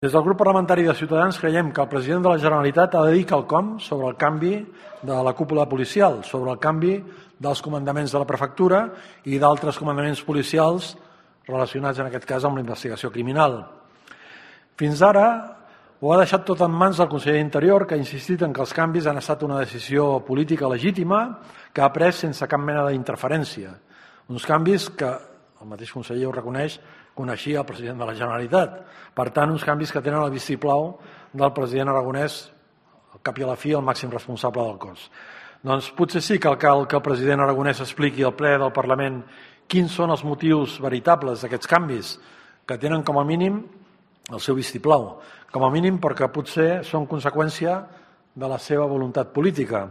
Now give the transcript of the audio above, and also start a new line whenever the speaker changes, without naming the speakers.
Des del grup parlamentari de Ciutadans creiem que el president de la Generalitat ha de dir quelcom sobre el canvi de la cúpula policial, sobre el canvi dels comandaments de la prefectura i d'altres comandaments policials relacionats, en aquest cas, amb la investigació criminal. Fins ara ho ha deixat tot en mans del conseller d'Interior, que ha insistit en que els canvis han estat una decisió política legítima que ha pres sense cap mena d'interferència. Uns canvis que, el mateix conseller ho reconeix, coneixia el president de la Generalitat. Per tant, uns canvis que tenen el vistiplau del president Aragonès, al cap i a la fi, el màxim responsable del cos. Doncs potser sí que cal que el president Aragonès expliqui al ple del Parlament quins són els motius veritables d'aquests canvis, que tenen com a mínim el seu vistiplau, com a mínim perquè potser són conseqüència de la seva voluntat política.